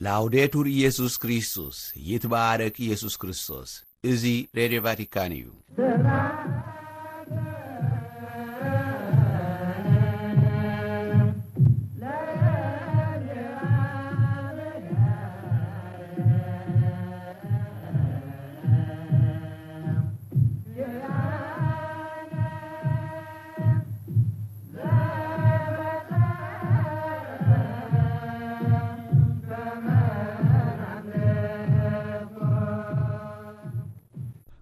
ላውዴቱር ኢየሱስ ክርስቶስ፣ ይትባረክ ኢየሱስ ክርስቶስ። እዚ ሬድዮ ቫቲካን እዩ።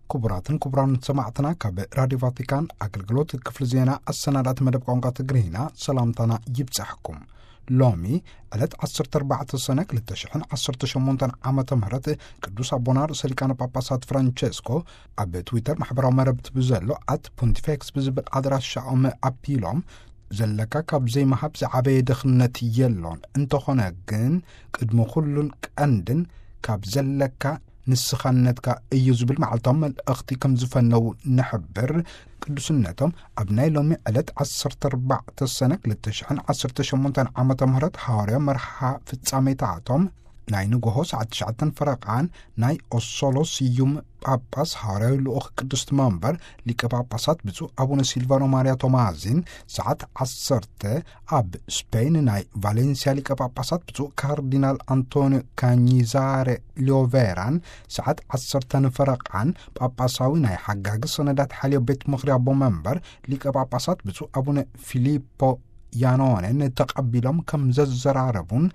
ክቡራትን ክቡራን ሰማዕትና፣ ካብ ራዲዮ ቫቲካን ኣገልግሎት ክፍሊ ዜና ኣሰናዳእቲ መደብ ቋንቋ ትግርኛ ሰላምታና ይብጻሕኩም። ሎሚ ዕለት ዓሰርተ ኣርባዕተ ሰነ ክልተ ሽሕን ዓሰርተ ሸሞንተን ዓመተ ምህረት ቅዱስ ኣቦና ርእሰ ሊቃነ ጳጳሳት ፍራንቸስኮ ኣብ ትዊተር ማሕበራዊ መረብቲ ብዘሎ ኣት ፖንቲፌክስ ብዝብል ኣድራሻኦም ኣቢሎም፣ ዘለካ ካብ ዘይምሃብ ዝዓበየ ድኽነት የሎን፣ እንተኾነ ግን ቅድሚ ኩሉን ቀንድን ካብ ዘለካ ንስኻነትካ እዩ ዝብል መዓልታዊ መልእኽቲ ከም ዝፈነዉ ንሕብር። ቅዱስነቶም ኣብ ናይ ሎሚ ዕለት ዓሰርተ ኣርባዕተ ሰነ ክልተ ሽሕን ዓሰርተ ሸሞንተን ዓመተ ምህረት ሃዋርያ መርሓ ፍጻሜታቶም ናይ ንግሆ ሰዓት ትሽዓተን ፈረቓን ናይ ኦሶሎ ስዩም ጳጳስ ሃዋርያዊ ልኡኽ ቅድስቲ መንበር ሊቀ ጳጳሳት ብፁዕ ኣቡነ ሲልቫኖ ማርያ ቶማዚን፣ ሰዓት ዓሰርተ ኣብ ስፔን ናይ ቫሌንሲያ ሊቀ ጳጳሳት ብፁዕ ካርዲናል ኣንቶኒዮ ካኒዛሬ ሊዮቬራን፣ ሰዓት ዓሰርተ ንፈረቓን ጳጳሳዊ ናይ ሓጋጊ ሰነዳት ሓልዮ ቤት ምኽሪ ኣቦ መንበር ሊቀ ጳጳሳት ብፁዕ ኣቡነ ፊሊፖ ያኖንን ተቐቢሎም ከም ዘዘራረቡን፣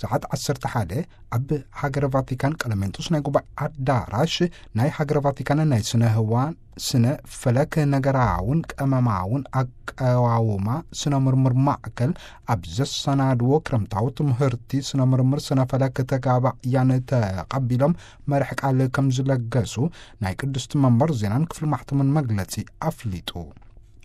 ሰዓት ዓሰርተ ሓደ ኣብ ሃገረ ቫቲካን ቀለሜንጦስ ናይ ጉባኤ ኣዳራሽ ናይ ሃገረ ቫቲካን ናይ ስነ ህዋ፣ ስነ ፈለክ ነገራውን ቀመማውን ኣቀዋውማ ስነ ምርምር ማዕከል ኣብ ዘሰናድዎ ክረምታዊ ትምህርቲ ስነ ምርምር ስነ ፈለክ ተጋባእያን ተቐቢሎም መርሕ ቃል ከም ዝለገሱ ናይ ቅድስቲ መንበር ዜናን ክፍሊ ማሕተምን መግለጺ ኣፍሊጡ።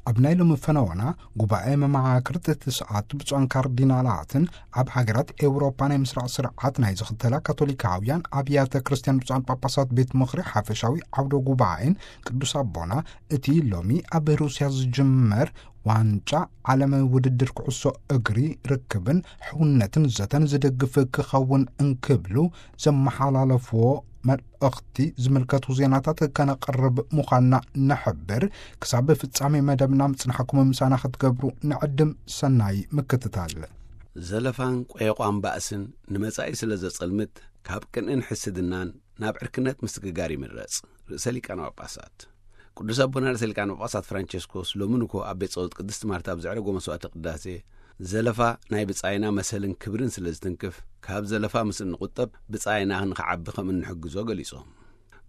ኣብ ናይ ሎሚ ፈነወና ጉባኤ መማክርት ትስዓቱ ብፁዓን ካርዲናላትን ኣብ ሃገራት ኤውሮፓ ናይ ምስራቕ ስርዓት ናይ ዝኽተላ ካቶሊካውያን ኣብያተ ክርስቲያን ብፁዓን ጳጳሳት ቤት ምኽሪ ሓፈሻዊ ዓውደ ጉባኤን ቅዱስ ኣቦና እቲ ሎሚ ኣብ ሩስያ ዝጅመር ዋንጫ ዓለም ውድድር ኩዕሶ እግሪ ርክብን ሕውነትን ዘተን ዝድግፍ ክኸውን እንክብሉ ዘመሓላለፍዎ መልእኽቲ ዝምልከቱ ዜናታት ከነቕርብ ምዃንና ንሕብር። ክሳብ ፍጻሜ መደብና ምጽናሕኩም ምሳና ክትገብሩ ንዕድም። ሰናይ ምክትታል። ዘለፋን ቆየቋን ባእስን ንመጻኢ ስለ ዘጸልምት፣ ካብ ቅንእን ሕስድናን ናብ ዕርክነት ምስግጋር ይምረጽ። ርእሰ ሊቃነ ጳጳሳት ቅዱስ ኣቦና ርእሰ ሊቃነ ጳጳሳት ፍራንቸስኮስ ሎሚ ንግሆ ኣብ ቤት ጸሎት ቅድስቲ ማርታ ኣብ ዘዕረጎ መስዋዕተ ቅዳሴ፣ ዘለፋ ናይ ብጻይና መሰልን ክብርን ስለ ዝትንክፍ፣ ካብ ዘለፋ ምስ እንቑጠብ ብጻይና ንኽዓቢ ከም እንሕግዞ ገሊጾም።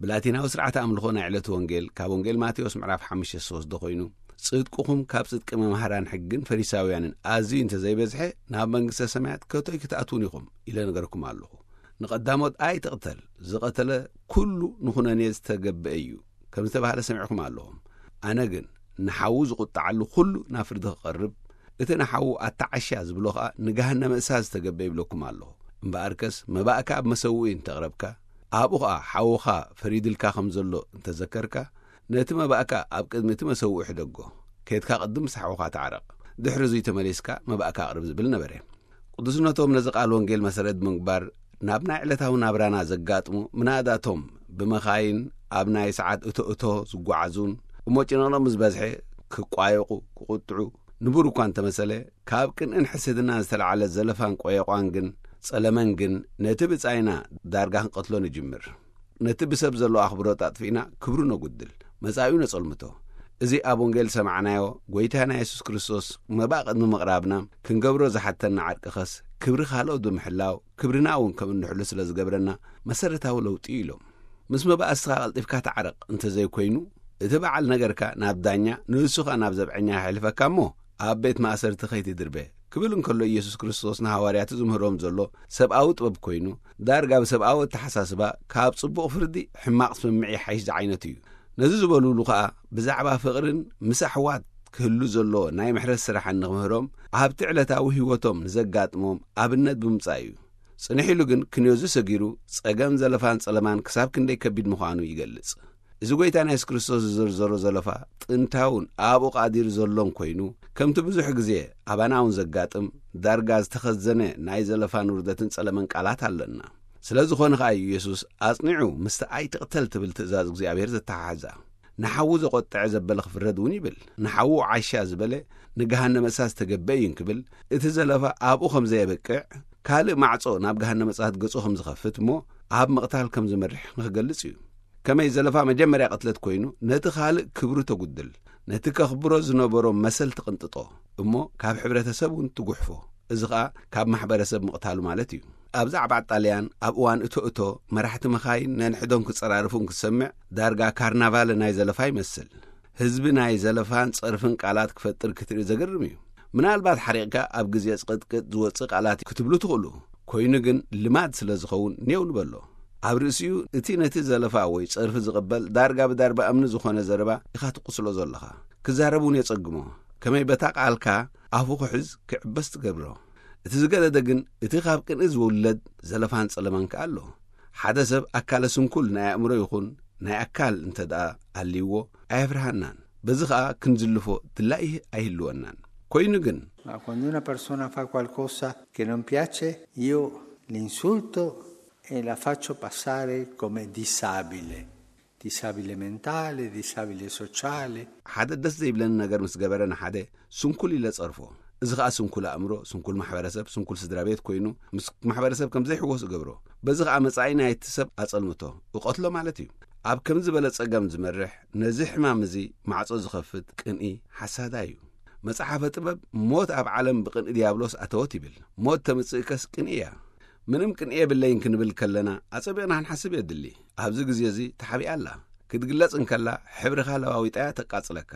ብላቲናዊ ስርዓተ ኣምልኾ ናይ ዕለቱ ወንጌል ካብ ወንጌል ማቴዎስ ምዕራፍ ሓሙሽተ ዝተወስደ ኮይኑ፣ ጽድቅኹም ካብ ጽድቂ መምሃራን ሕግን ፈሪሳውያንን ኣዝዩ እንተ ዘይበዝሐ፣ ናብ መንግስተ ሰማያት ከቶይ ክትኣትዉን ኢኹም ኢለ ነገርኩም ኣለኹ። ንቐዳሞት ኣይትቕተል፣ ዝቐተለ ኩሉ ንኹነኔ ዝተገብአ እዩ ከም ዝተባህለ ሰሚዕኩም ኣለኹም። ኣነ ግን ንሓዉ ዝቑጣዓሉ ኩሉ ናብ ፍርዲ ክቐርብ፣ እቲ ንሓዉ ኣተዓሻ ዝብሎ ኸኣ ንገሃነመ እሳት ዝተገብአ ይብለኩም ኣለኹ። እምበኣርከስ መባእካ ኣብ መሰውኢ እንተቕረብካ፣ ኣብኡ ኸኣ ሓውኻ ፈሪድልካ ከም ዘሎ እንተዘከርካ፣ ነቲ መባእካ ኣብ ቅድሚ እቲ መሰውኢ ሕደጎ። ኬድካ ቅድም ምስ ሓውኻ ተዓረቕ። ድሕሪ እዙይ ተመሊስካ መባእካ ኣቕርብ ዝብል ነበረ። ቅዱስነቶም ነዚ ቃል ወንጌል መሰረት ብምግባር፣ ናብ ናይ ዕለታዊ ናብራና ዘጋጥሙ ምናእዳቶም ብመኻይን ኣብ ናይ ሰዓት እቶ እቶ ዝጓዓዙን፣ እሞ ጭንቕንቕ ምስ በዝሐ ክቋየቑ፣ ክቁጥዑ፣ ንቡር እኳ እንተመሰለ፣ ካብ ቅንእን ሕስድናን ዝተላዕለ ዘለፋን ቆየቋን ግን፣ ጸለመን ግን፣ ነቲ ብጻይና ዳርጋ ክንቀትሎ ንጅምር። ነቲ ብሰብ ዘሎ ኣኽብሮት ኣጥፊእና ክብሩ ነጉድል፣ መጻኢኡ ነጸልምቶ። እዚ ኣብ ወንጌል ዝሰማዕናዮ፣ ጐይታና የሱስ ክርስቶስ መባእ ቅድሚ ምቕራብና ክንገብሮ ዝሓተና ዓርቂ ኸስ፣ ክብሪ ካልኦት ብምሕላው፣ ክብርና እውን ከም እንሕሉ ስለ ዝገብረና መሰረታዊ ለውጢ እዩ ኢሎም። ምስ መባእስትኻ ቀልጢፍካ ተዓረቕ እንተዘይኮይኑ፣ እቲ በዓል ነገርካ ናብ ዳኛ፣ ንእሱ ኸኣ ናብ ዘብዐኛ የሕልፈካ እሞ፣ ኣብ ቤት ማእሰርቲ ከይትድርበ ክብል እንከሎ፣ ኢየሱስ ክርስቶስ ንሃዋርያቱ ዝምህሮም ዘሎ ሰብኣዊ ጥበብ ኮይኑ፣ ዳርጋ ብሰብኣዊ ኣተሓሳስባ ካብ ጽቡቕ ፍርዲ ሕማቕ ስምምዕ ይሓይሽ ዝዓይነቱ እዩ። ነዚ ዝበሉሉ ኸኣ፣ ብዛዕባ ፍቕርን ምስ ኣሕዋት ክህሉ ዘሎ ናይ ምሕረት ስራሕን ንኽምህሮም፣ ኣብቲ ዕለታዊ ህይወቶም ንዘጋጥሞም ኣብነት ብምጻእ እዩ። ጽንሕ ኢሉ ግን ክንዮዚ ሰጊሩ ጸገም ዘለፋን ጸለማን ክሳብ ክንደይ ከቢድ ምዃኑ ይገልጽ። እዚ ጐይታ ናይ የሱስ ክርስቶስ ዝዘርዘሮ ዘለፋ ጥንታውን ኣብኡ ቃዲር ዘሎን ኮይኑ፣ ከምቲ ብዙሕ ግዜ ኣባና እውን ዘጋጥም፣ ዳርጋ ዝተኸዘነ ናይ ዘለፋን ውርደትን ጸለመን ቃላት ኣለና። ስለ ዝኾነ ኸኣ እዩ የሱስ ኣጽኒዑ ምስቲ ኣይትቕተል ትብል ትእዛዝ እግዚኣብሔር ዘተሓሕዛ። ንሓዉ ዘቖጥዐ ዘበለ ክፍረድ እውን ይብል። ንሓዉ ዓሻ ዝበለ ንገሃነመ እሳት ዝተገበ እዩ እንክብል፣ እቲ ዘለፋ ኣብኡ ከም ዘየበቅዕ፣ ካልእ ማዕጾ ናብ ገሃነመ እሳት ገጹ ከም ዝኸፍት እሞ ኣብ ምቕታል ከም ዝመርሕ ንክገልጽ እዩ። ከመይ ዘለፋ መጀመርያ ቅትለት ኮይኑ፣ ነቲ ካልእ ክብሩ ተጉድል፣ ነቲ ከኽብሮ ዝነበሮ መሰል ትቕንጥጦ፣ እሞ ካብ ሕብረተሰብ እውን ትጉሕፎ። እዚ ኸኣ ካብ ማሕበረሰብ ምቕታሉ ማለት እዩ። ኣብ ዛዕባ ጣልያን ኣብ እዋን እቶ እቶ መራሕቲ መኻይን ነንሕዶም ክጸራርፉ እንክትሰምዕ፣ ዳርጋ ካርናቫል ናይ ዘለፋ ይመስል። ህዝቢ ናይ ዘለፋን ጸርፍን ቃላት ክፈጥር ክትርኢ ዘገርም እዩ። ምናልባት ሓሪቕካ ኣብ ግዜ ጽቕጥቅጥ ዝወጽእ ቃላት ክትብሉ ትኽእሉ። ኮይኑ ግን ልማድ ስለ ዝኸውን ኔው ንበሎ። ኣብ ርእሲኡ እቲ ነቲ ዘለፋ ወይ ጸርፊ ዝቕበል ዳርጋ ብዳርባ እምኒ ዝኾነ ዘረባ ኢኻ ትቕስሎ ዘለኻ። ክዛረብ እውን የጸግሞ። ከመይ በታ ቃልካ ኣፉ ክሕዝ ክዕበስ ትገብሮ። እቲ ዝገደደ ግን እቲ ካብ ቅንኢ ዝውለድ ዘለፋን ጸለማን ከኣ ኣሎ። ሓደ ሰብ ኣካለ ስንኩል ናይ ኣእምሮ ይኹን ናይ ኣካል እንተ ደኣ ኣልይዎ ኣየፍርሃናን። በዚ ኸኣ ክንዝልፎ ድላይ ኣይህልወናን። ኮይኑ ግን Ma quando una persona fa qualcosa che non piace, io l'insulto e la faccio passare come disabile, disabile mentale, disabile sociale. ሓደ ደስ ዘይብለኒ ነገር ምስ ገበረ ንሓደ ስንኩል ኢለ ጸርፎ። እዚ ኸኣ ስንኩል ኣእምሮ፣ ስንኩል ማሕበረሰብ፣ ስንኩል ስድራ ቤት ኮይኑ ምስ ማሕበረሰብ ከም ዘይሕወስ እገብሮ። በዚ ኸኣ መጻኢ ናይቲ ሰብ ኣጸልምቶ፣ እቐትሎ ማለት እዩ። ኣብ ከምዚ ዝበለ ጸገም ዝመርሕ፣ ነዚ ሕማም እዚ ማዕጾ ዝኸፍት ቅንኢ ሓሳዳ እዩ። መጽሓፈ ጥበብ፣ ሞት ኣብ ዓለም ብቅንኢ ዲያብሎስ ኣተወት ይብል። ሞት ተምጽእከስ ቅንኢ እያ። ምንም ቅንኢ የብለይን ክንብል ከለና ኣጸቢቕና ክንሓስብ የድሊ። ኣብዚ ግዜ እዚ ተሓቢኣ ኣላ። ክትግለጽ እንከላ ሕብርኻ ለዋዊጣያ ተቃጽለካ።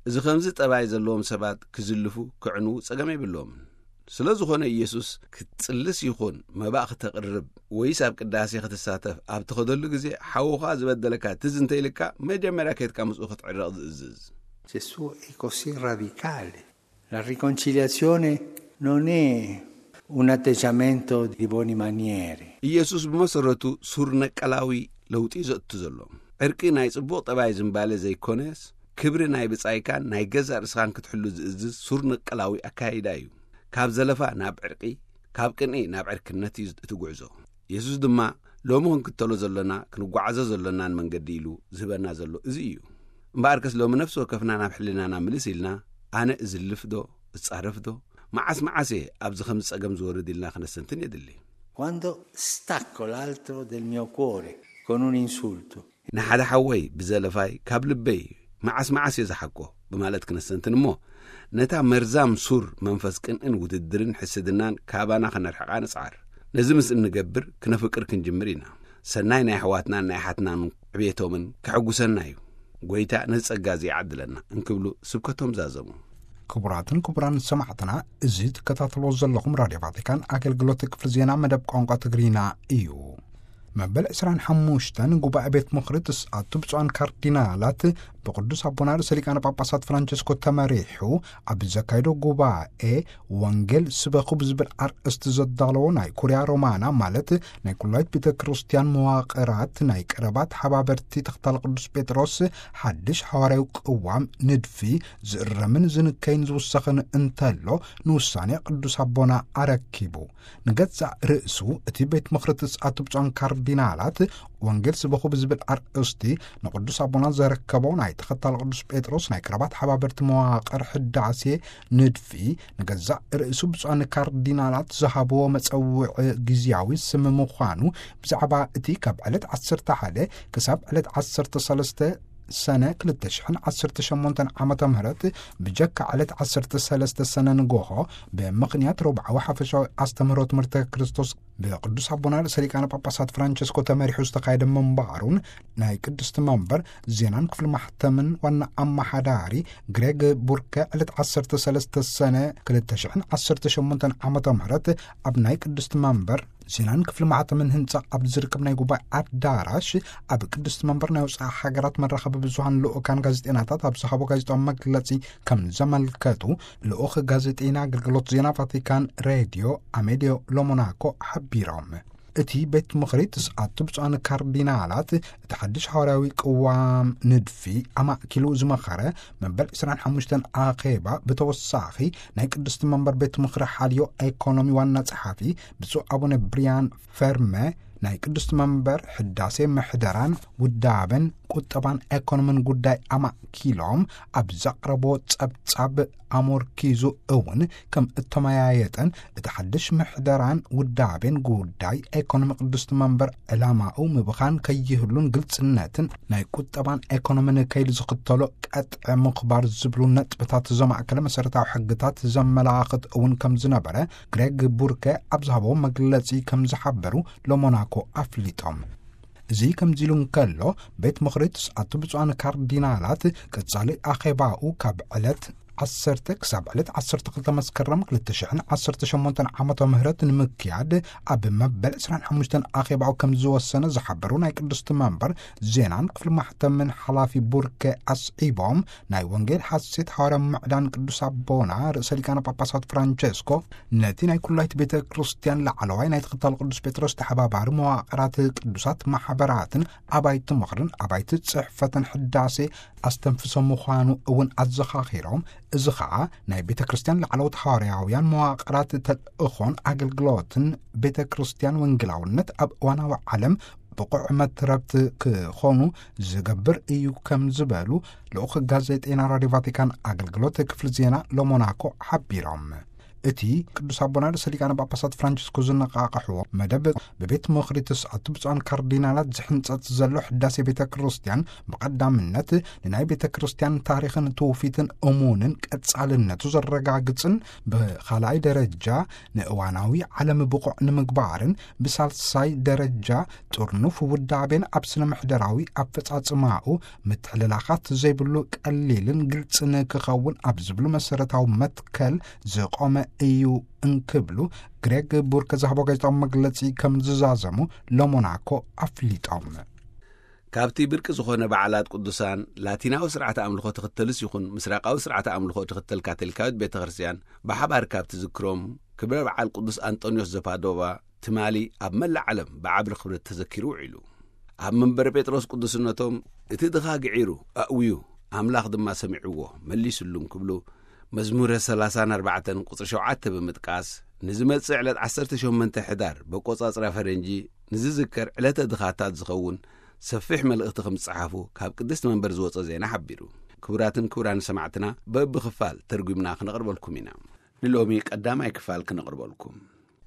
እዚ ከምዚ ጠባይ ዘለዎም ሰባት ክዝልፉ፣ ክዕንዉ ጸገም የብሎምን። ስለ ዝኾነ ኢየሱስ ክትጽልስ ይኹን መባእ ክተቕርብ ወይስ ኣብ ቅዳሴ ክትሳተፍ ኣብ ትኸደሉ ግዜ ሓውኻ ዝበደለካ ትዝ እንተ ኢልካ መጀመርያ ከይድካ ምስኡ ክትዕረቕ ዝእዝዝ። Gesù è così radicale. La riconciliazione non è un atteggiamento di buone maniere. ኢየሱስ ብመሰረቱ ሱር ነቀላዊ ለውጢ እዩ ዘእቱ ዘሎ። ዕርቂ ናይ ጽቡቕ ጠባይ ዝምባለ ዘይኮነስ፣ ክብሪ ናይ ብጻይካን ናይ ገዛእ ርእስኻን ክትሕሉ ዝእዝዝ ሱር ነቀላዊ ኣካይዳ እዩ። ካብ ዘለፋ ናብ ዕርቂ፣ ካብ ቅንኢ ናብ ዕርክነት እዩ እቲ ጉዕዞ። የሱስ ድማ ሎሚ ክንክተሎ ዘሎና፣ ክንጓዓዞ ዘሎናን መንገዲ ኢሉ ዝህበና ዘሎ እዚ እዩ። እምበኣርከስ ሎሚ ነፍሲ ወከፍና ናብ ሕልናና ምልስ ኢልና፣ ኣነ እዝልፍ ዶ፣ እጻረፍ ዶ፣ መዓስ መዓስ እየ ኣብዚ ከምዚ ጸገም ዝወርድ ኢልና ክነስተንትን የድሊ። Quando stacco l'altro del mio cuore con un insulto, ንሓደ ሓወይ ብዘለፋይ ካብ ልበይ መዓስ መዓስ እየ ዝሓቆ ብማለት ክነስተንትን እሞ፣ ነታ መርዛም ሱር መንፈስ ቅንእን ውድድርን ሕስድናን ካባና ከነርሕቓ ንጽዓር። ነዚ ምስ እንገብር ክነፍቅር ክንጅምር ኢና። ሰናይ ናይ ኣሕዋትናን ናይ ኣሓትናን ዕብየቶምን ከሐጉሰና እዩ። ጐይታ ነዚ ጸጋ እዚ ይዓድለና እንክብሉ ስብከቶም ዛዘሙ። ክቡራትን ክቡራን ሰማዕትና፣ እዚ ትከታተልዎ ዘለኹም ራድዮ ቫቲካን ኣገልግሎት ክፍሊ ዜና መደብ ቋንቋ ትግርኛ እዩ። መበል ዕስራን ሓሙሽተን ጉባኤ ቤት ምኽሪ ትስኣቱ ብፁዓን ካርዲናላት ብቅዱስ ኣቦና ርእሰ ሊቃነ ጳጳሳት ፍራንቸስኮ ተመሪሑ ኣብ ዘካየዶ ጉባኤ ወንጌል ስበኹ ብዝብል ኣርእስቲ ዘዳለዎ ናይ ኩርያ ሮማና ማለት ናይ ኩላይት ቤተ ክርስቲያን መዋቕራት ናይ ቀረባ ተሓባበርቲ ተኽታል ቅዱስ ጴጥሮስ ሓድሽ ሓዋርያዊ ቅዋም ንድፊ ዝእረምን ዝንከይን ዝውሰኽን እንተሎ ንውሳኔ ቅዱስ ኣቦና ኣረኪቡ። ንገዛእ ርእሱ እቲ ቤት ምኽሪ ትስኣቱ ብፁዓን ካርዲናላት ወንጌል ስበኹ ብዝብል ኣርእስቲ ንቅዱስ ኣቦና ዘረከቦ ናይ ተኸታል ቅዱስ ጴጥሮስ ናይ ቀረባ ተሓባበርቲ መዋቕር ሕዳሴ ንድፊ ንገዛእ ርእሱ ብፁዓን ካርዲናላት ዝሃብዎ መጸውዒ ግዝያዊ ስም ምዃኑ ብዛዕባ እቲ ካብ ዕለት ዓሰርተ ሓደ ክሳብ ዕለት ዓሰርተ ሰለስተ ሰነ ክልተ ሽሕን ዓሰርተ ሸሞንተን ዓመተ ምህረት ብጀካ ዕለት ዓሰርተ ሰለስተ ሰነ ንጎሆ ብምኽንያት ረቡዓዊ ሓፈሻዊ ኣስተምህሮ ትምህርተ ክርስቶስ ብቅዱስ ኣቦና ርእሰ ሊቃነ ጳጳሳት ፍራንቸስኮ ተመሪሑ ዝተኻየደ ምንባሩን ናይ ቅድስቲ መንበር ዜናን ክፍሊ ማሕተምን ዋና ኣመሓዳሪ ግሬግ ቡርከ ዕለት ዓሰርተ ሰለስተ ሰነ ክልተ ሽሕን ዓሰርተ ሸሞንተን ዓመተ ምህረት ኣብ ናይ ቅድስቲ መንበር ዜናን ክፍሊ ማሕተምን ህንጻ ኣብ ዝርከብ ናይ ጉባኤ ኣዳራሽ ኣብ ቅድስቲ መንበር ናይ ወጻኢ ሃገራት መራኸቢ ብዙሃን ልኡካን ጋዜጠናታት ኣብ ዝሃቦ ጋዜጣዊ መግለጺ ከም ዘመልከቱ ልኡኽ ጋዜጠና ኣገልግሎት ዜና ቫቲካን ሬድዮ ኣሜልዮ ሎሞናኮ ሓቢሮም። እቲ ቤት ምኽሪ ትስኣቱ ብፁዓን ካርዲናላት እቲ ሓድሽ ሃዋርያዊ ቅዋም ንድፊ ኣማእኪሉ ዝመኸረ መበል ዕስራን ሓሙሽተን ኣኼባ፣ ብተወሳኺ ናይ ቅድስቲ መንበር ቤት ምኽሪ ሓልዮ ኤኮኖሚ ዋና ጸሓፊ ብፁዕ ኣቡነ ብሪያን ፈርመ ናይ ቅድስቲ መንበር ሕዳሴ ምሕደራን ውዳበን ቁጠባን ኤኮኖምን ጉዳይ ኣማእኪሎም ኣብ ዘቕረቦ ጸብጻብ ኣሞርኪዙ እውን ከም እተመያየጠን እቲ ሓድሽ ምሕደራን ውዳቤን ጉዳይ ኤኮኖሚ ቅድስቲ መንበር ዕላማኡ ምብኻን ከይህሉን ግልጽነትን ናይ ቁጠባን ኤኮኖምን ከይል ዝኽተሎ ቀጥዐ ምኽባር ዝብሉ ነጥብታት ዘማእከለ መሰረታዊ ሕግታት ዘመላኽት እውን ከም ዝነበረ ግሬግ ቡርከ ኣብ ዝሃቦ መግለጺ ከም ዝሓበሩ ሎሞናኮ ኣፍሊጦም። እዚ ከምዚ ኢሉ እንከሎ፣ ቤት ምኽሪ ትስዓቱ ብፁዓን ካርዲናላት ቀጻሊ ኣኼባኡ ካብ ዕለት ዓሰርተ ክሳብ ዕለት ዓሰርተ ክልተ መስከረም ክልተ ሽሕን ዓሰርተ ሸሞንተን ዓመተ ምህረት ንምክያድ ኣብ መበል ዕስራን ሓሙሽተን ኣኼባኡ ከም ዝወሰነ ዝሓበሩ ናይ ቅድስቲ መንበር ዜናን ክፍሊ ማሕተምን ሓላፊ ቡርከ ኣስዒቦም፣ ናይ ወንጌል ሓሴት ሃዋርያ ምዕዳን ቅዱስ ኣቦና ርእሰ ሊቃነ ጳጳሳት ፍራንቸስኮ ነቲ ናይ ኩላይት ቤተ ክርስቲያን ላዕለዋይ ናይ ተኸታል ቅዱስ ጴጥሮስ ተሓባባሪ መዋቕራት ቅዱሳት ማሕበራትን ኣባይቲ ምኽርን ኣባይቲ ጽሕፈትን ሕዳሴ ኣስተንፍሶ ምዃኑ እውን ኣዘኻኺሮም፣ እዚ ኸኣ ናይ ቤተ ክርስቲያን ላዕለዎት ሃዋርያውያን መዋቕራት ተልእኾን ኣገልግሎትን ቤተ ክርስቲያን ወንጌላውነት ኣብ እዋናዊ ዓለም ብቑዕ መትረብቲ ክኾኑ ዝገብር እዩ ከም ዝበሉ ልኡኽ ጋዜጠይና ራድዮ ቫቲካን ኣገልግሎት ክፍሊ ዜና ሎሞናኮ ሓቢሮም። እቲ ቅዱስ ኣቦና ርእሰ ሊቃነ ጳጳሳት ፍራንቸስኮ ዝነቃቕሕዎ መደብ ብቤት ምኽሪ ትስዓቱ ብፁዓን ካርዲናላት ዝሕንጸጽ ዘሎ ሕዳሴ ቤተ ክርስቲያን ብቐዳምነት ንናይ ቤተ ክርስቲያን ታሪኽን ትውፊትን እሙንን ቀጻልነቱ ዘረጋግጽን ብኻልኣይ ደረጃ ንእዋናዊ ዓለም ብቑዕ ንምግባርን ብሳልሳይ ደረጃ ጥርኑፍ ውዳቤን ኣብ ስነ ምሕደራዊ ኣፈጻጽማኡ ምትሕልላኻት ዘይብሉ ቀሊልን ግልጽን ክኸውን ኣብ ዝብሉ መሰረታዊ መትከል ዝቖመ እዩ እንክብሉ ግሬግ ቡርከ ዝሃቦ ጋዜጣዊ መግለጺ ከም ዝዛዘሙ ሎሞናኮ ኣፍሊጦም። ካብቲ ብርቂ ዝኾነ በዓላት ቅዱሳን ላቲናዊ ስርዓተ ኣምልኾ ትኽተልስ ይኹን ምስራቃዊ ስርዓተ ኣምልኾ ትኽተል ካቶሊካዊት ቤተ ክርስቲያን ብሓባር ካብ ትዝክሮም ክብረ በዓል ቅዱስ ኣንጦንዮስ ዘፓዶቫ ትማሊ ኣብ መላእ ዓለም ብዓቢ ክብረት ተዘኪሩ ውዒሉ። ኣብ መንበረ ጴጥሮስ ቅዱስነቶም እቲ ድኻ ግዒሩ ኣእውዩ፣ ኣምላኽ ድማ ሰሚዕዎ መሊስሉን ክብሉ መዝሙረ ሰላሳን ኣርባዕተን ቁጽሪ ሸውዓተ ብምጥቃስ ንዝመጽእ ዕለት ዓሰርተ ሸሞንተ ሕዳር በቆጻጽራ ፈረንጂ ንዝዝከር ዕለተ ድኻታት ዝኸውን ሰፊሕ መልእኽቲ ከም ዝጸሓፉ ካብ ቅድስቲ መንበር ዝወጸ ዜና ሓቢሩ። ክቡራትን ክቡራን ሰማዕትና በብኽፋል ተርጒምና ክነቕርበልኩም ኢና። ንሎሚ ቀዳማይ ክፋል ክነቕርበልኩም።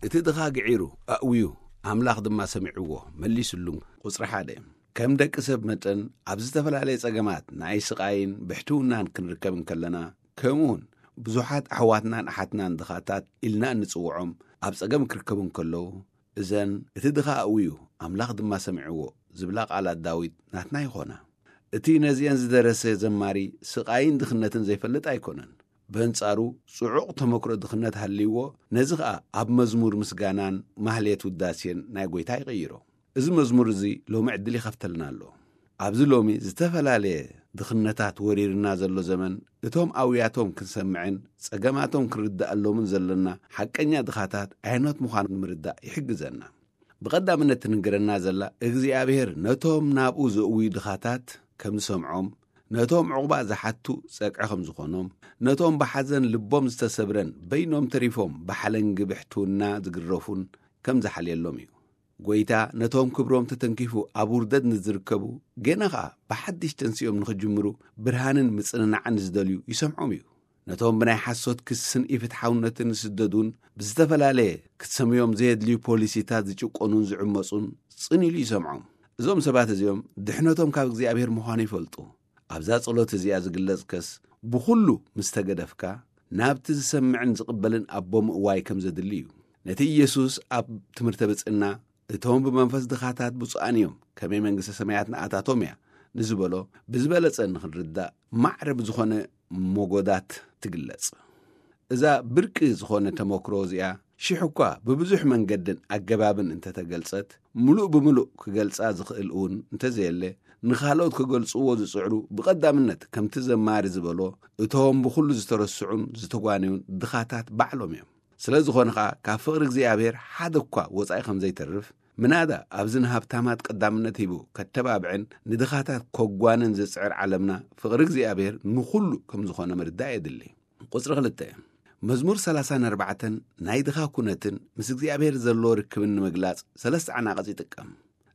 እቲ ድኻ ግዒሩ ኣእውዩ፣ ኣምላኽ ድማ ሰሚዕዎ መሊስሉን። ቁጽሪ ሓደ። ከም ደቂ ሰብ መጠን ኣብ ዝተፈላለየ ጸገማት ናይ ስቓይን ብሕትውናን ክንርከብ እንከለና፣ ከምኡውን ብዙሓት ኣሕዋትናን ኣሓትናን ድኻታት ኢልና እንጽውዖም ኣብ ጸገም ክርከቡ እንከለዉ፣ እዘን እቲ ድኻ ኣእውዩ ኣምላኽ ድማ ሰሚዕዎ ዝብላ ቃላት ዳዊት ናትና ይኾና። እቲ ነዚአን ዝደረሰ ዘማሪ ስቓይን ድኽነትን ዘይፈልጥ ኣይኮነን። በንጻሩ ጽዑቕ ተመክሮ ድኽነት ሃልይዎ፣ ነዚ ኸኣ ኣብ መዝሙር ምስጋናን ማህሌት ውዳሴን ናይ ጐይታ ይቕይሮ። እዚ መዝሙር እዚ ሎሚ ዕድል ይኸፍተልና ኣሎ። ኣብዚ ሎሚ ዝተፈላለየ ድኽነታት ወሪርና ዘሎ ዘመን፣ እቶም ኣውያቶም ክንሰምዕን ጸገማቶም ክንርድኣሎምን ዘለና ሓቀኛ ድኻታት ኣየኖት ምዃኑ ንምርዳእ ይሕግዘና። ብቐዳምነት ትንገረና ዘላ፣ እግዚኣብሔር ነቶም ናብኡ ዘእውዩ ድኻታት ከም ዝሰምዖም፣ ነቶም ዕቑባ ዝሓቱ ጸግዒ ከም ዝኾኖም፣ ነቶም ብሓዘን ልቦም ዝተሰብረን በይኖም ተሪፎም ብሓለንጊ ብሕትውና ዝግረፉን ከም ዝሓልየሎም እዩ። ጐይታ ነቶም ክብሮም ተተንኪፉ ኣብ ውርደት ንዝርከቡ፣ ገና ኸኣ ብሓድሽ ተንሲኦም ንኽጅምሩ ብርሃንን ምጽንናዕን ንዝደልዩ ይሰምዖም እዩ። ነቶም ብናይ ሓሶት ክስን ኢፍትሓውነትን ዝስደዱን ብዝተፈላለየ ክትሰምዮም ዘየድልዩ ፖሊሲታት ዝጭቆኑን ዝዕመጹን ጽን ኢሉ ይሰምዖም። እዞም ሰባት እዚኦም ድሕነቶም ካብ እግዚኣብሔር ምዃኑ ይፈልጡ። ኣብዛ ጸሎት እዚኣ ዝግለጽከስ ብኹሉ ምስ ተገደፍካ ናብቲ ዝሰምዕን ዝቕበልን ኣቦ ምእዋይ ከም ዘድሊ እዩ። ነቲ ኢየሱስ ኣብ ትምህርተ ብጽእና እቶም ብመንፈስ ድኻታት ብፁዓን እዮም፣ ከመይ መንግስተ ሰማያት ንኣታቶም እያ ንዝበሎ ብዝበለጸ ንኽንርዳእ ማዕረ ብዝኾነ ሞጎዳት ትግለጽ። እዛ ብርቂ ዝኾነ ተመክሮ እዚኣ ሽሕ እኳ ብብዙሕ መንገድን ኣገባብን እንተተገልጸት፣ ምሉእ ብምሉእ ክገልጻ ዝኽእል እውን እንተዘየለ፣ ንኻልኦት ክገልጽዎ ዝጽዕሩ ብቐዳምነት ከምቲ ዘማሪ ዝበሎ እቶም ብኹሉ ዝተረስዑን ዝተጓነዩን ድኻታት ባዕሎም እዮም። ስለ ዝኾነ ኸኣ ካብ ፍቕሪ እግዚኣብሔር ሓደ እኳ ወጻኢ ከም ዘይተርፍ፣ ምናዳ ኣብዚ ንሃብታማት ቀዳምነት ሂቡ ከተባብዕን ንድኻታት ኮጓንን ዝጽዕር ዓለምና፣ ፍቕሪ እግዚኣብሔር ንኹሉ ከም ዝኾነ ምርዳእ የድሊ። ቁጽሪ ክልተ፣ መዝሙር ሰላሳን ኣርባዕተን ናይ ድኻ ኩነትን ምስ እግዚኣብሔር ዘለዎ ርክብን ንምግላጽ ሰለስተ ዓናቕጽ ይጥቀም።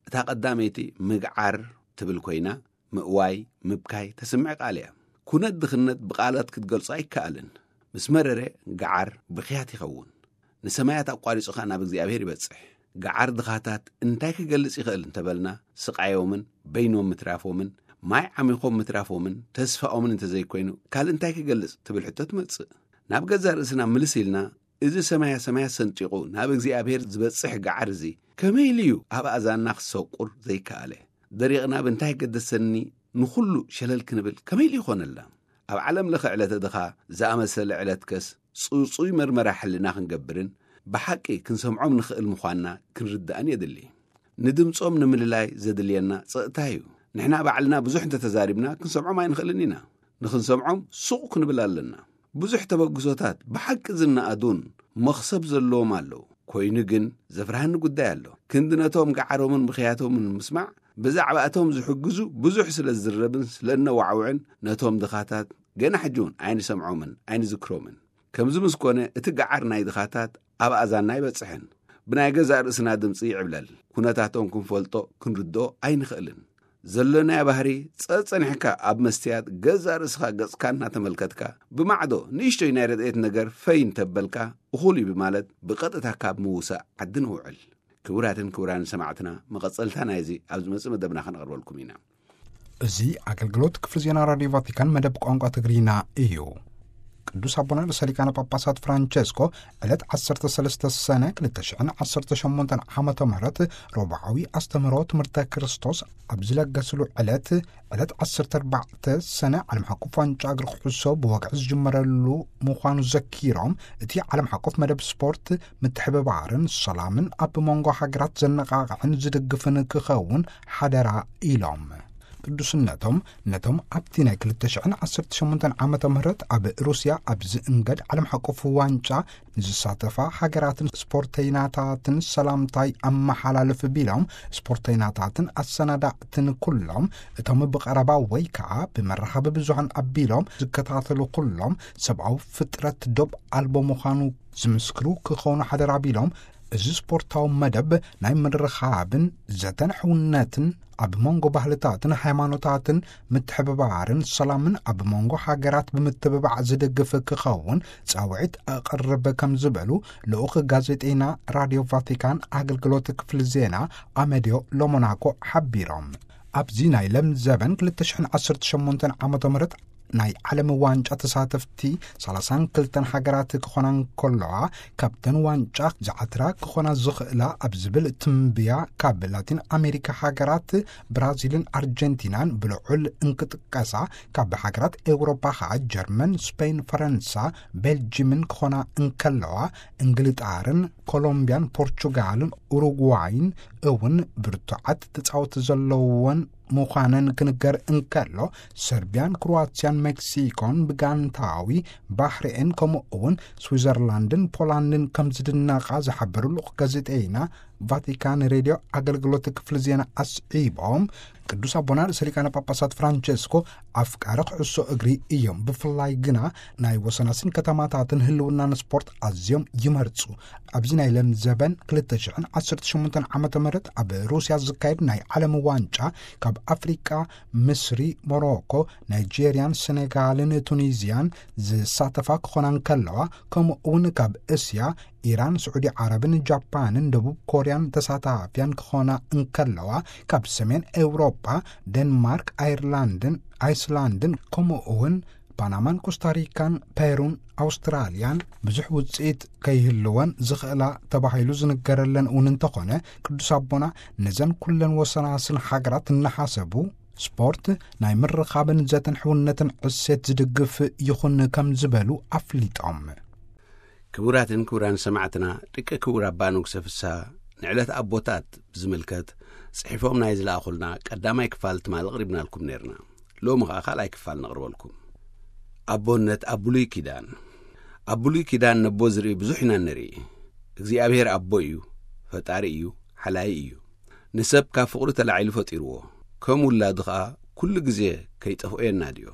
እታ ቀዳመይቲ ምግዓር ትብል ኮይና፣ ምእዋይ፣ ምብካይ ተስምዕ ቃል እያ። ኩነት ድኽነት ብቓላት ክትገልጾ ኣይከኣልን። ምስ መረረ፣ ገዓር ብኽያት ይኸውን። ንሰማያት ኣቋሪጹ ኸኣ ናብ እግዚኣብሔር ይበጽሕ። ገዓር ድኻታት እንታይ ክገልጽ ይኽእል እንተበልና፣ ስቓዮምን በይኖም ምትራፎምን፣ ማይ ዓሚኾም ምትራፎምን ተስፋኦምን እንተዘይኮይኑ፣ ካልእ እንታይ ክገልጽ ትብል ሕቶ ትመጽእ። ናብ ገዛእ ርእስና ምልስ ኢልና፣ እዚ ሰማያ ሰማያት ሰንጢቑ ናብ እግዚኣብሔር ዝበጽሕ ገዓር እዚ ከመይ ኢሉ እዩ ኣብ ኣእዛንና ክሰቁር ዘይከኣለ? ደሪቕና ብእንታይ ገደሰኒ ንኹሉ ሸለል ክንብል ከመይ ኢሉ ይኾነልና? ኣብ ዓለም ለኸ ዕለተ ድኻ ዝኣመሰለ ዕለትከስ ጽጹይ መርመራ ሕልና ክንገብርን ብሓቂ ክንሰምዖም ንኽእል ምዃንና ክንርዳእን የድሊ። ንድምጾም ንምልላይ ዘድልየና ጸጥታ እዩ። ንሕና ባዕልና ብዙሕ እንተተዛሪብና ክንሰምዖም ኣይንኽእልን ኢና። ንኽንሰምዖም ሱቕ ክንብል ኣለና። ብዙሕ ተበግሶታት ብሓቂ ዝነኣዱን መኽሰብ ዘለዎም ኣለዉ። ኮይኑ ግን ዘፍርሃኒ ጉዳይ ኣሎ። ክንዲ ነቶም ገዓሮምን ብኽያቶምን ምስማዕ ብዛዕባ እቶም ዝሕግዙ ብዙሕ ስለ ዝዝረብን ስለ እነዋዕውዕን ነቶም ድኻታት ገና ሕጂ እውን ኣይንሰምዖምን ኣይንዝክሮምን። ከምዚ ምስ ኮነ እቲ ገዓር ናይ ድኻታት ኣብ ኣእዛንና ኣይበጽሕን። ብናይ ገዛእ ርእስና ድምጺ ይዕብለል። ኩነታቶም ክንፈልጦ ክንርድኦ ኣይንኽእልን። ዘሎናዮ ባህሪ ጸጸኒሕካ ኣብ መስትያት ገዛእ ርእስኻ ገጽካ እናተመልከትካ ብማዕዶ ንእሽቶይ ናይ ረድኤት ነገር ፈይ እንተበልካ እኹል እዩ ብማለት ብቐጥታ ካብ ምውሳእ ዓዲ ንውዕል። ክቡራትን ክቡራን ሰማዕትና፣ መቐጸልታ ናይዚ ኣብ ዝመጽእ መደብና ከነቕርበልኩም ኢና። እዚ ኣገልግሎት ክፍሊ ዜና ራድዮ ቫቲካን መደብ ቋንቋ ትግርኛ እዩ። ቅዱስ ኣቦና ርእሰ ሊቃነ ጳጳሳት ፍራንቸስኮ ዕለት ዓሰርተ ሰለስተ ሰነ ክልተ ሽሕን ዓሰርተ ሸሞንተን ዓመተ ምህረት ረቡዓዊ ኣስተምህሮ ትምህርተ ክርስቶስ ኣብ ዝለገስሉ ዕለት፣ ዕለት ዓሰርተ ኣርባዕተ ሰነ ዓለም ሓቆፍ ዋንጫ እግሪ ኩዕሶ ብወግዒ ዝጅመረሉ ምዃኑ ዘኪሮም፣ እቲ ዓለም ሓቆፍ መደብ ስፖርት ምትሕብባርን ሰላምን ኣብ መንጎ ሃገራት ዘነቓቕሕን ዝድግፍን ክኸውን ሓደራ ኢሎም። ቅዱስነቶም ነቶም ኣብቲ ናይ ክልተ ሽሕን ዓሰርተ ሸሞንተን ዓመተ ምህረት ኣብ ሩስያ ኣብ ዝእንገድ ዓለም ሓቆፍ ዋንጫ ንዝሳተፋ ሃገራትን ስፖርተይናታትን ሰላምታይ ኣመሓላልፍ ቢሎም፣ ስፖርተይናታትን ኣሰናዳእትን ኩሎም፣ እቶም ብቐረባ ወይ ከዓ ብመራኸቢ ብዙሃን ኣቢሎም ዝከታተሉ ኩሎም፣ ሰብኣዊ ፍጥረት ዶብ ኣልቦ ምዃኑ ዝምስክሩ ክኾኑ ሓደራ ቢሎም፣ እዚ ስፖርታዊ መደብ ናይ ምርኻብን ዘተን ሕውነትን ኣብ መንጎ ባህልታትን ሃይማኖታትን ምትሕብባርን ሰላምን ኣብ መንጎ ሃገራት ብምትብባዕ ዝድግፍ ክኸውን ጻውዒት ኣቕርብ ከም ዝበሉ ልኡኽ ጋዜጠይና ራድዮ ቫቲካን ኣገልግሎት ክፍሊ ዜና ኣመድዮ ሎሞናኮ ሓቢሮም። ኣብዚ ናይ ለም ዘበን ክልተ ሽሕን ዓሰርተ ሸሞንተን ዓመተ ምህረት ናይ ዓለም ዋንጫ ተሳተፍቲ ሰላሳን ክልተን ሃገራት ክኾና እንከለዋ፣ ካብተን ዋንጫ ዝዓትራ ክኾና ዝኽእላ ኣብ ዝብል ትንብያ ካብ ላቲን ኣሜሪካ ሃገራት ብራዚልን ኣርጀንቲናን ብልዑል እንክጥቀሳ፣ ካብ ሃገራት ኤውሮፓ ኸዓ ጀርመን፣ ስፔን፣ ፈረንሳ፣ ቤልጅምን ክኾና እንከለዋ፣ እንግልጣርን ኮሎምቢያን ፖርቹጋልን ኡሩጓይን እውን ብርቱዓት ተጻወቲ ዘለዎን ምዃነን ክንገር እንከሎ፣ ሰርቢያን ክሮዋትያን ሜክሲኮን ብጋንታዊ ባህሪኤን ከምኡ እውን ስዊዘርላንድን ፖላንድን ከም ዝድነቓ ዝሓበሩ ልኡኽ ጋዜጠይና ቫቲካን ሬድዮ ኣገልግሎት ክፍሊ ዜና ኣስዒቦም፣ ቅዱስ ኣቦና ርእሰ ሊቃነ ጳጳሳት ፍራንቸስኮ ኣፍቃሪ ኩዕሶ እግሪ እዮም። ብፍላይ ግና ናይ ወሰናስን ከተማታትን ህልውናን ስፖርት ኣዝዮም ይመርጹ። ኣብዚ ናይ ለም ዘበን ክልተ ሽሕን ዓሰርተ ሸሞንተን ዓመተ ምህረት ኣብ ሩስያ ዝካየድ ናይ ዓለም ዋንጫ ካብ ኣፍሪቃ፣ ምስሪ፣ ሞሮኮ፣ ናይጄርያን ሴኔጋልን ቱኒዝያን ዝሳተፋ ክኾና እንከለዋ፣ ከምኡ እውን ካብ እስያ ኢራን፣ ስዑዲ ዓረብን ጃፓንን ደቡብ ኮርያን ተሳታፍያን ክኾና እንከለዋ፣ ካብ ሰሜን ኤውሮጳ ደንማርክ፣ ኣይርላንድን ኣይስላንድን ከምኡ እውን ፓናማን ኮስታሪካን ፔሩን ኣውስትራልያን ብዙሕ ውጽኢት ከይህልወን ዝኽእላ ተባሂሉ ዝንገረለን እውን እንተኾነ፣ ቅዱስ ኣቦና ነዘን ኩለን ወሰናስን ሃገራት እናሓሰቡ፣ ስፖርት ናይ ምርኻብን ዘተን ሕውነትን ዕሴት ዝድግፍ ይኹን ከም ዝበሉ ኣፍሊጦም። ክቡራትን ክቡራን ሰማዕትና፣ ደቂ ክቡር ኣባ ንጉሰ ፍስሃ ንዕለት ኣቦታት ብዝምልከት ጽሒፎም ናይ ዝለኣኹልና ቀዳማይ ክፋል ትማሊ ኣቕሪብናልኩም ነርና። ሎሚ ኸኣ ካልኣይ ክፋል ነቕርበልኩም። ኣቦነት ኣብ ብሉይ ኪዳን። ኣብ ብሉይ ኪዳን ነቦ ዝርኢ ብዙሕ ኢና ንርኢ። እግዚኣብሔር ኣቦ እዩ፣ ፈጣሪ እዩ፣ ሓላይ እዩ። ንሰብ ካብ ፍቕሩ ተላዒሉ ፈጢርዎ፣ ከም ውላዱ ኸኣ ኩሉ ግዜ ከይጠፍኦ የናድዮ።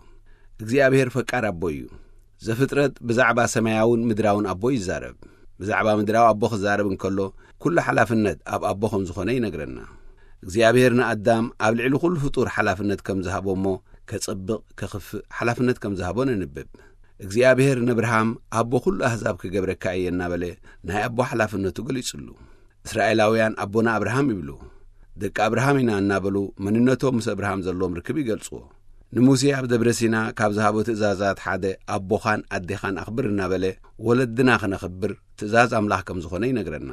እግዚኣብሔር ፈቃር ኣቦ እዩ። ዘፍጥረት ብዛዕባ ሰማያውን ምድራውን ኣቦ ይዛረብ። ብዛዕባ ምድራዊ ኣቦ ክዛረብ እንከሎ፣ ኩሉ ሓላፍነት ኣብ ኣቦ ከም ዝኾነ ይነግረና። እግዚኣብሔር ንኣዳም ኣብ ልዕሊ ኩሉ ፍጡር ሓላፍነት ከም ዝሃቦ እሞ፣ ከጸብቕ፣ ከኽፍእ ሓላፍነት ከም ዝሃቦ ነንብብ። እግዚኣብሔር ነብርሃም ኣቦ ኩሉ ኣህዛብ ክገብረካ እየ እናበለ ናይ ኣቦ ሓላፍነቱ ገሊጹሉ። እስራኤላውያን ኣቦና ኣብርሃም ይብሉ። ደቂ ኣብርሃም ኢና እናበሉ መንነቶም ምስ ኣብርሃም ዘለዎም ርክብ ይገልጽዎ። ንሙሴ ኣብ ደብረ ሲና ካብ ዝሃቦ ትእዛዛት ሓደ ኣቦኻን ኣዴኻን ኣኽብር እናበለ ወለድና ክነኽብር ትእዛዝ ኣምላኽ ከም ዝኾነ ይነግረና።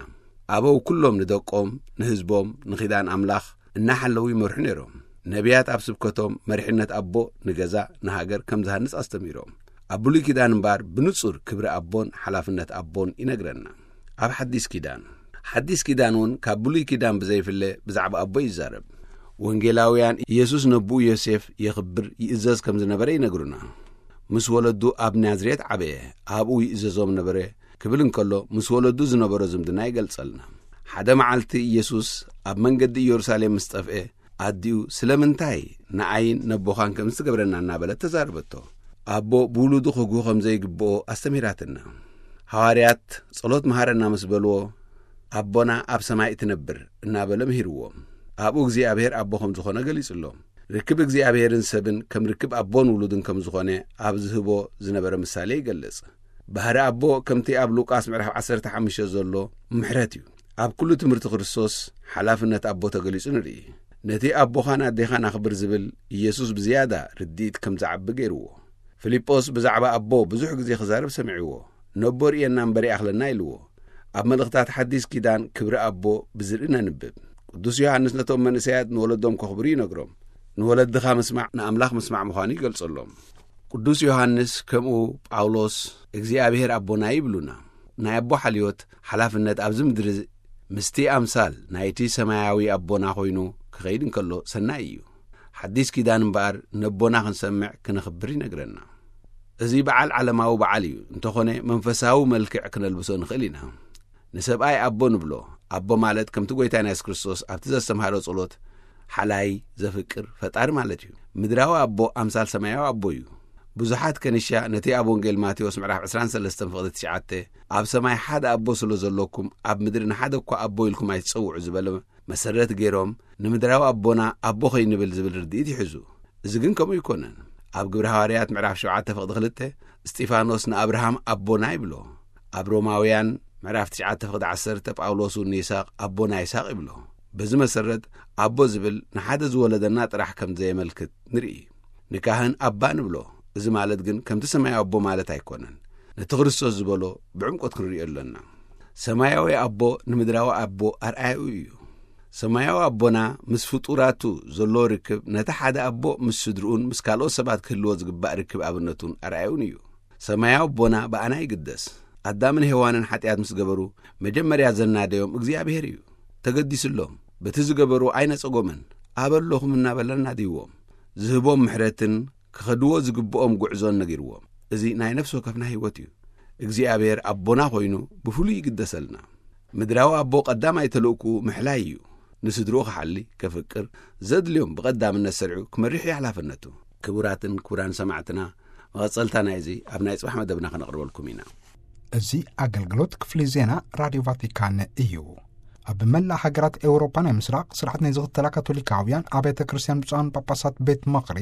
ኣበው ኩሎም ንደቆም፣ ንህዝቦም፣ ንኺዳን ኣምላኽ እናሓለዉ ይመርሑ ነይሮም። ነቢያት ኣብ ስብከቶም መሪሕነት ኣቦ ንገዛ፣ ንሃገር ከም ዝሃንጽ ኣስተሚሮም። ኣብ ብሉይ ኪዳን እምበኣር ብንጹር ክብሪ ኣቦን ሓላፍነት ኣቦን ይነግረና። ኣብ ሓዲስ ኪዳን፣ ሓዲስ ኪዳን እውን ካብ ብሉይ ኪዳን ብዘይፍለ ብዛዕባ ኣቦ ይዛረብ። ወንጌላውያን ኢየሱስ ነብኡ ዮሴፍ የኽብር፣ ይእዘዝ ከም ዝነበረ ይነግሩና። ምስ ወለዱ ኣብ ናዝሬት ዓበየ፣ ኣብኡ ይእዘዞም ነበረ ክብል እንከሎ፣ ምስ ወለዱ ዝነበሮ ዝምድና ይገልጸልና። ሓደ መዓልቲ ኢየሱስ ኣብ መንገዲ ኢየሩሳሌም ምስ ጠፍኤ፣ ኣዲኡ ስለምንታይ ንኣይን ነቦኻን ከምዚ ትገብረና እናበለት ተዛረበቶ። ኣቦ ብውሉዱ ክጉህ ከም ዘይግብኦ ኣስተምሂራትና። ሃዋርያት ጸሎት መሃረና ምስ በልዎ፣ ኣቦና ኣብ ሰማይ እትነብር እናበለ ምሂርዎም። ኣብኡ እግዚኣብሔር ኣቦ ከም ዝኾነ ገሊጹሎም። ርክብ እግዚኣብሔርን ሰብን ከም ርክብ ኣቦን ውሉድን ከም ዝኾነ ኣብ ዝህቦ ዝነበረ ምሳሌ ይገልጽ። ባህሪ ኣቦ ከምቲ ኣብ ሉቃስ ምዕራፍ ዓሰርተ ሓሙሽተ ዘሎ ምሕረት እዩ። ኣብ ኩሉ ትምህርቲ ክርስቶስ ሓላፍነት ኣቦ ተገሊጹ ንርኢ። ነቲ ኣቦኻን ኣዴኻን ኣኽብር ዝብል ኢየሱስ ብዝያዳ ርድኢት ከም ዝዓቢ ገይርዎ። ፊልጶስ ብዛዕባ ኣቦ ብዙሕ ግዜ ክዛረብ ሰሚዕዎ። ነቦ ርእየና እምበር ይኣኽለና ኢልዎ። ኣብ መልእኽታት ሓዲስ ኪዳን ክብሪ ኣቦ ብዝርኢ ነንብብ። ቅዱስ ዮሃንስ ነቶም መንእሰያት ንወለዶም ከኽብሩ ይነግሮም። ንወለድኻ ምስማዕ ንኣምላኽ ምስማዕ ምዃኑ ይገልጸሎም። ቅዱስ ዮሃንስ ከምኡ ጳውሎስ እግዚኣብሔር ኣቦና ይብሉና። ናይ ኣቦ ሓልዮት ሓላፍነት ኣብዚ ምድሪ ምስቲ ኣምሳል ናይቲ ሰማያዊ ኣቦና ኮይኑ ክኸይድ እንከሎ ሰናይ እዩ። ሓዲስ ኪዳን እምበኣር ነቦና ክንሰምዕ ክነኽብር ይነግረና። እዚ በዓል ዓለማዊ በዓል እዩ። እንተኾነ መንፈሳዊ መልክዕ ክነልብሶ ንኽእል ኢና። ንሰብኣይ ኣቦ ንብሎ። ኣቦ ማለት ከምቲ ጐይታና የሱስ ክርስቶስ ኣብቲ ዘስተምሃሮ ጸሎት ሓላይ፣ ዘፍቅር፣ ፈጣሪ ማለት እዩ። ምድራዊ ኣቦ ኣምሳል ሰማያዊ ኣቦ እዩ። ብዙሓት ከንሻ ነቲ ኣብ ወንጌል ማቴዎስ ምዕራፍ ዕስራን ሰለስተን ፍቕዲ ትሽዓተ፣ ኣብ ሰማይ ሓደ ኣቦ ስለ ዘሎኩም ኣብ ምድሪ ንሓደ እኳ ኣቦ ኢልኩም ኣይትጸውዑ ዝበለ መሰረት ገይሮም ንምድራዊ ኣቦና ኣቦ ኸይንብል ዝብል ርድኢት ይሕዙ። እዚ ግን ከምኡ ኣይኮነን። ኣብ ግብሪ ሃዋርያት ምዕራፍ ሸውዓተ ፍቕዲ ክልተ እስጢፋኖስ ንኣብርሃም ኣቦና ይብሎ። ኣብ ሮማውያን ምዕራፍ ትሽዓተ ፍቕዲ ዓሰርተ ጳውሎስ እውን ንይስሐቅ ኣቦና ይስሐቅ ይብሎ። በዚ መሰረት ኣቦ ዝብል ንሓደ ዝወለደና ጥራሕ ከም ዘየመልክት ንርኢ። ንካህን ኣባ ንብሎ። እዚ ማለት ግን ከምቲ ሰማያዊ ኣቦ ማለት ኣይኮነን። ነቲ ክርስቶስ ዝበሎ ብዕምቆት ክንርእዮ ኣለና። ሰማያዊ ኣቦ ንምድራዊ ኣቦ ኣርኣያኡ እዩ። ሰማያዊ ኣቦና ምስ ፍጡራቱ ዘሎ ርክብ ነቲ ሓደ ኣቦ ምስ ስድርኡን ምስ ካልኦት ሰባት ክህልዎ ዝግባእ ርክብ ኣብነቱን ኣርኣያኡን እዩ። ሰማያዊ ኣቦና ብኣና ይግደስ። ኣዳምን ሄዋንን ሓጢኣት ምስ ገበሩ መጀመርያ ዘናደዮም እግዚኣብሔር እዩ። ተገዲስሎም፣ በቲ ዝገበሩ ኣይነጸጎምን። ኣበለኹም እናበለ ኣናድይዎም። ዝህቦም ምሕረትን ክኸድዎ ዝግብኦም ጉዕዞን ነጊርዎም። እዚ ናይ ነፍሲ ወከፍና ህይወት እዩ። እግዚኣብሔር ኣቦና ኮይኑ ብፍሉይ ይግደሰልና። ምድራዊ ኣቦ ቀዳማይ ተልእኩ ምሕላይ እዩ። ንስድርኡ ክሓሊ፣ ከፍቅር፣ ዘድልዮም ብቐዳምነት ሰሪዑ ክመርሕ እዩ ሓላፍነቱ። ክቡራትን ክቡራን ሰማዕትና፣ መቐጸልታ ናይዚ ኣብ ናይ ጽባሕ መደብና ከነቕርበልኩም ኢና። እዚ ኣገልግሎት ክፍሊ ዜና ራድዮ ቫቲካን እዩ። ኣብ መላእ ሃገራት ኤውሮፓ ናይ ምስራቕ ስርዓት ናይ ዝኽተላ ካቶሊካውያን ኣብያተ ክርስቲያን ብፁዓን ጳጳሳት ቤት ምኽሪ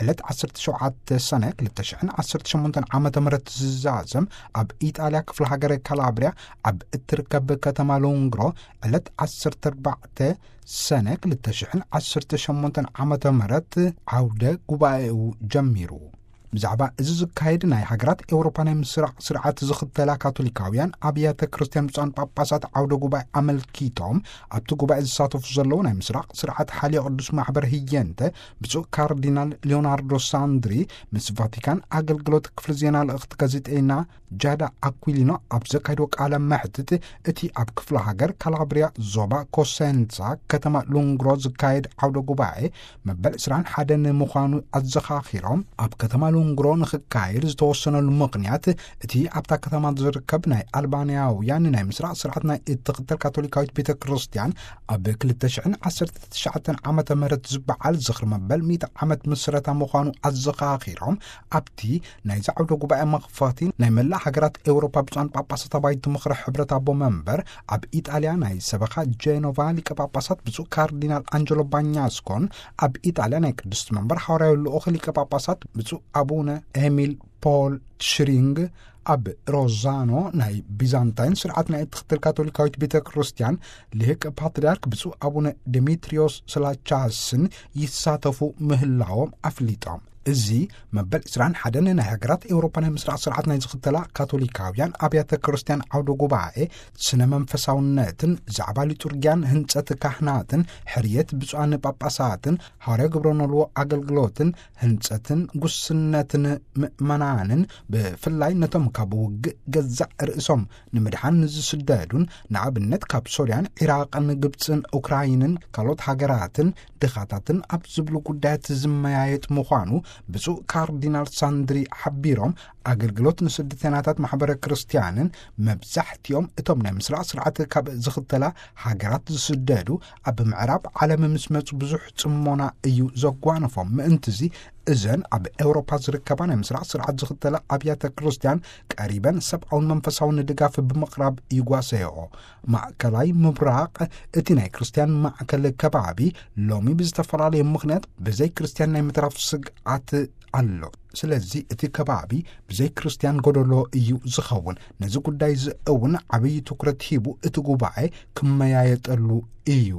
ዕለት ዓሰርተ ሸውዓተ ሰነ ክልተ ሽሕን ዓሰርተ ሸሞንተን ዓመተ ምህረት ዝዛዘም ኣብ ኢጣልያ ክፍለ ሃገር ካላብሪያ ኣብ እትርከብ ከተማ ሎንግሮ ዕለት ዓሰርተ ኣርባዕተ ሰነ ክልተ ሽሕን ዓሰርተ ሸሞንተን ዓመተ ምህረት ዓውደ ጉባኤኡ ጀሚሩ። ብዛዕባ እዚ ዝካየድ ናይ ሃገራት ኤውሮፓ ናይ ምስራቕ ስርዓት ዝኽተላ ካቶሊካውያን ኣብያተ ክርስቲያን ብፁዓን ጳጳሳት ዓውደ ጉባኤ ኣመልኪቶም ኣብቲ ጉባኤ ዝሳተፉ ዘለዉ ናይ ምስራቕ ስርዓት ሓልዮ ቅዱስ ማሕበር ህየንተ ብፁዕ ካርዲናል ሊዮናርዶ ሳንድሪ ምስ ቫቲካን ኣገልግሎት ክፍሊ ዜና ልእኽቲ ጋዜጠይና ጃዳ ኣኩሊኖ ኣብ ዘካየድዎ ቃለ መሕትት እቲ ኣብ ክፍለ ሃገር ካላብሪያ ዞባ ኮሴንሳ ከተማ ሉንግሮ ዝካየድ ዓውደ ጉባኤ መበል ዕስራን ሓደን ምዃኑ ኣዘኻኺሮም ኣብ ከተማ እንግሮ ንኽካየድ ዝተወሰነሉ ምኽንያት፣ እቲ ኣብታ ከተማ ዝርከብ ናይ ኣልባንያውያን ናይ ምስራቕ ስርዓት ናይ እትኽተል ካቶሊካዊት ቤተ ክርስቲያን፣ ኣብ ክልተ ሽሕን ዓሰርተ ትሽዓተን ዓመተ ምህረት ዝበዓል ዝኽሪ መበል ሚእቲ ዓመት ምስረታ ምዃኑ ኣዘኻኺሮም፣ ኣብቲ ናይዚ ዓውደ ጉባኤ መኽፈቲ ናይ መላእ ሃገራት ኤውሮፓ ብፁዓን ጳጳሳት ኣባይቲ ምኽሪ ሕብረት ኣቦ መንበር፣ ኣብ ኢጣልያ ናይ ሰበኻ ጄኖቫ ሊቀ ጳጳሳት ብፁዕ ካርዲናል ኣንጀሎ ባኛስኮን፣ ኣብ ኢጣልያ ናይ ቅድስቲ መንበር ሓዋርያዊ ልኡኽ ሊቀ ጳጳሳት ብፁዕ ኣቡነ ኤሚል ፖል ትሽሪንግ፣ ኣብ ሮዛኖ ናይ ቢዛንታይን ስርዓት ናይ እትኽተል ካቶሊካዊት ቤተ ክርስቲያን ሊቅ ፓትርያርክ ብፁዕ ኣቡነ ዲሚትሪዮስ ስላቻስን ይሳተፉ ምህላዎም ኣፍሊጦም። እዚ መበል ዕስራን ሓደን ናይ ሃገራት ኤውሮፓ ናይ ምስራቕ ስርዓት ናይ ዝኽተላ ካቶሊካውያን ኣብያተ ክርስቲያን ዓውደ ጉባኤ ስነ መንፈሳውነትን ዛዕባ ሊጡርጊያን ህንጸት ካህናትን ሕርየት ብፁዓን ጳጳሳትን ሃዋርያ ግብረ ኖልዎ ኣገልግሎትን ህንጸትን ጉስነትን ምእመናንን፣ ብፍላይ ነቶም ካብ ውግእ ገዛእ ርእሶም ንምድሓን ንዝስደዱን፣ ንኣብነት ካብ ሶርያን፣ ዒራቕን፣ ግብጽን፣ ኡክራይንን ካልኦት ሃገራትን ድኻታትን ኣብ ዝብሉ ጉዳያት ዝመያየጥ ምዃኑ ብፁዕ ካርዲናል ሳንድሪ ሓቢሮም፣ ኣገልግሎት ንስደተኛታት ማሕበረ ክርስቲያንን መብዛሕትኦም እቶም ናይ ምስራቕ ስርዓት ካብ ዝኽተላ ሃገራት ዝስደዱ ኣብ ምዕራብ ዓለም ምስ መጹ ብዙሕ ጽሞና እዩ ዘጓነፎም። ምእንትዚ እዘን ኣብ ኤውሮፓ ዝርከባ ናይ ምስራቕ ስርዓት ዝኽተላ ኣብያተ ክርስቲያን ቀሪበን ሰብኣውን መንፈሳውን ድጋፍ ብምቕራብ ይጓሰየኦ። ማእከላይ ምብራቕ፣ እቲ ናይ ክርስቲያን ማእከል ከባቢ፣ ሎሚ ብዝተፈላለየ ምኽንያት ብዘይ ክርስቲያን ናይ ምትራፍ ስግኣት ኣሎ። ስለዚ እቲ ከባቢ ብዘይ ክርስቲያን ጎደሎ እዩ ዝኸውን። ነዚ ጉዳይ እዚ እውን ዓብዪ ትኩረት ሂቡ እቲ ጉባኤ ክመያየጠሉ እዩ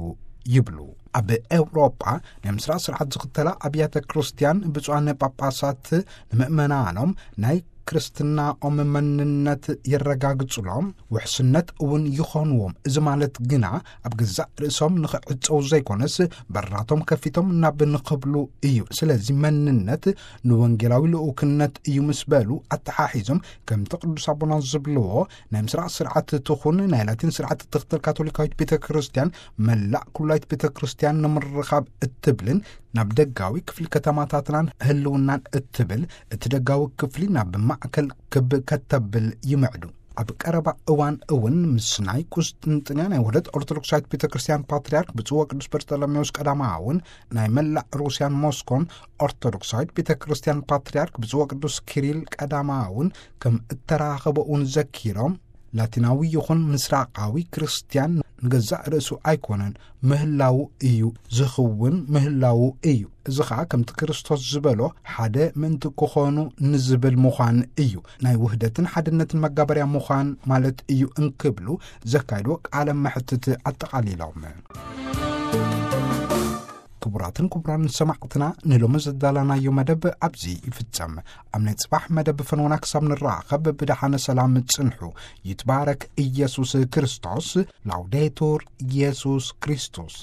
ይብሉ። ኣብ ኤውሮጳ ናይ ምስራቕ ስርዓት ዝኽተላ ኣብያተ ክርስቲያን ብፁዓን ጳጳሳት ንምእመናኖም ናይ ክርስትናኦም መንነት የረጋግጹሎም፣ ውሕስነት እውን ይኾንዎም። እዚ ማለት ግና ኣብ ገዛእ ርእሶም ንኽዕጸው ዘይኮነስ በራቶም ከፊቶም ናብ ንኽብሉ እዩ። ስለዚ መንነት ንወንጌላዊ ልኡክነት እዩ ምስ በሉ ኣተሓሒዞም፣ ከምቲ ቅዱስ ኣቦና ዝብልዎ ናይ ምስራቕ ስርዓት ትኹን ናይ ላቲን ስርዓት ትኽተል ካቶሊካዊት ቤተ ክርስቲያን መላእ ኩላይት ቤተ ክርስቲያን ንምርኻብ እትብልን ናብ ደጋዊ ክፍሊ ከተማታትናን ህልውናን እትብል፣ እቲ ደጋዊ ክፍሊ ናብ ማእከል ክብ ከተብል ይምዕዱ። ኣብ ቀረባ እዋን እውን ምስ ናይ ቁስጥንጥንያ ናይ ውህደት ኦርቶዶክሳዊት ቤተ ክርስቲያን ፓትርያርክ ብፁዕ ወቅዱስ በርጠሎሜዎስ ቀዳማውን ናይ መላእ ሩስያን ሞስኮን ኦርቶዶክሳዊት ቤተ ክርስቲያን ፓትርያርክ ብፁዕ ወቅዱስ ኪሪል ቀዳማውን ከም እተራኸበ እውን ዘኪሮም፣ ላቲናዊ ይኹን ምስራቃዊ ክርስቲያን ንገዛእ ርእሱ ኣይኮነን፣ ምህላዉ እዩ ዝኽውን፣ ምህላዉ እዩ። እዚ ኸኣ ከምቲ ክርስቶስ ዝበሎ፣ ሓደ ምእንቲ ክኾኑ ንዝብል ምዃን እዩ፣ ናይ ውህደትን ሓድነትን መጋበርያ ምዃን ማለት እዩ እንክብሉ ዘካይድዎ ቃለ መሕትት ኣጠቓሊሎም። ክቡራትን ክቡራን ሰማዕትና፣ ንሎሚ ዘዳለናዮ መደብ ኣብዚ ይፍጸም። ኣብ ናይ ጽባሕ መደብ ፈንወና ክሳብ ንራኸብ ብደሓነ ሰላም ጽንሑ። ይትባረክ ኢየሱስ ክርስቶስ። ላውዴቱር ኢየሱስ ክርስቶስ።